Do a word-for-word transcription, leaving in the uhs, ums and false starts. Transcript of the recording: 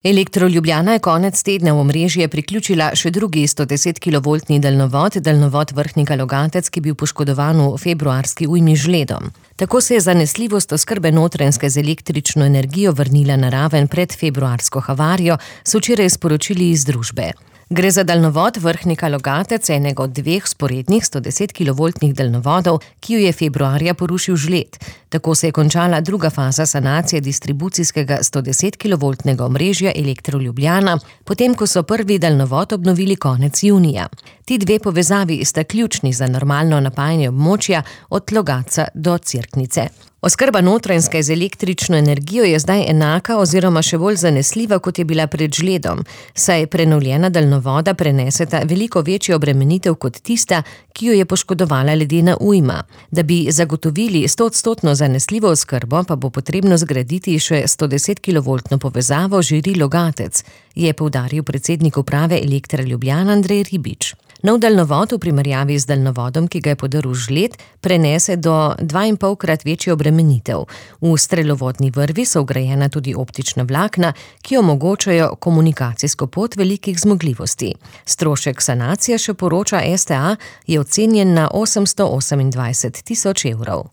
Elektro Ljubljana je konec tedna v omrežje priključila še drugi sto deset kilovoltni daljnovod, daljnovod Vrhnika-Logatec, ki je bil poškodovan v februarski ujmi z ledom. Tako se je zanesljivost oskrbe Notranjske z električno energijo vrnila na raven pred februarsko havarijo, so včeraj sporočili iz družbe. Gre za daljnovod Vrhnika-Logatec, enega od dveh vzporednih sto deset kilovoltnih daljnovodov, ki jo je februarja porušil žled. Tako se je končala druga faza sanacije distribucijskega sto deset kilovoltnega omrežja Elektro Ljubljana, potem ko so prvi daljnovod obnovili konec junija. Ti dve povezavi sta ključni za normalno napajanje območja od Logatca do Cerknice. Oskrba Notranjske z električno energijo je zdaj enaka oziroma še bolj zanesljiva, kot je bila pred žledom, saj prenovljena daljnovoda preneseta veliko večjo obremenitev kot tista, ki jo je poškodovala ledena ujma. Da bi zagotovili stoodstotno zanesljivo oskrbo, pa bo potrebno zgraditi še sto deset kilovoltno povezavo Žiri-Logatec, je poudaril predsednik uprave Elektra Ljubljana Andrej Ribič. Nov daljnovod v primerjavi z daljnovodom, ki ga je podrl žled, prenese do dvainpolkrat večjo obremenitev. V strelovodni vrvi so vgrajena tudi optična vlakna, ki omogočajo komunikacijsko pot velikih zmogljivosti. Strošek sanacije, še poroča S T A, je ocenjen na osemsto osemindvajset tisoč evrov.